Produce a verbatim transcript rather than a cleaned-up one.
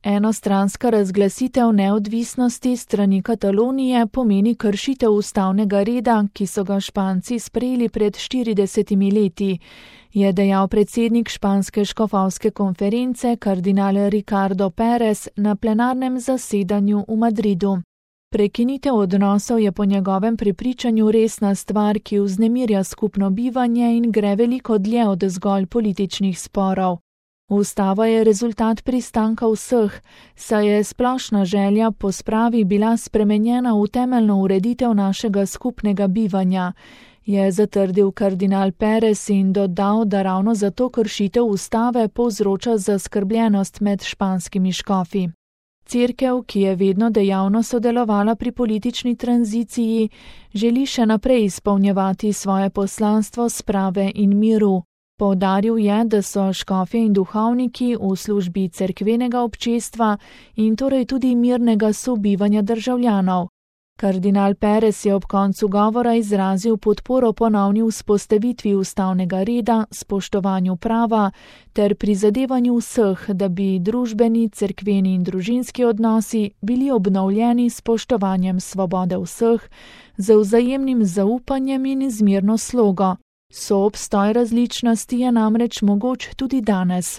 Enostranska razglasitev neodvisnosti strani Katalonije pomeni kršitev ustavnega reda, ki so ga Španci sprejeli pred štiridesetimi leti, je dejal predsednik španske škofovske konference kardinal Ricardo Pérez na plenarnem zasedanju v Madridu. Prekinitev odnosov je po njegovem prepričanju resna stvar, ki vznemirja skupno bivanje in gre veliko dlje od zgolj političnih sporov. Ustava je rezultat pristanka vseh, saj je splošna želja po spravi bila spremenjena v temeljno ureditev našega skupnega bivanja, je zatrdil kardinal Pérez in dodal, da ravno zato kršitev ustave povzroča zaskrbljenost med španskimi škofi. Cerkev, ki je vedno dejavno sodelovala pri politični tranziciji, želi še naprej izpolnjevati svoje poslanstvo sprave in miru. Poudaril je, da so škofje in duhovniki v službi cerkvenega občestva in torej tudi mirnega sobivanja državljanov. Kardinal Pérez je ob koncu govora izrazil podporo ponovni vzpostavitvi ustavnega reda, spoštovanju prava ter prizadevanju vseh, da bi družbeni, cerkveni in družinski odnosi bili obnovljeni s spoštovanjem svobode vseh, z vzajemnim zaupanjem in izmirno slogo. Soobstoj različnosti je namreč mogoč tudi danes.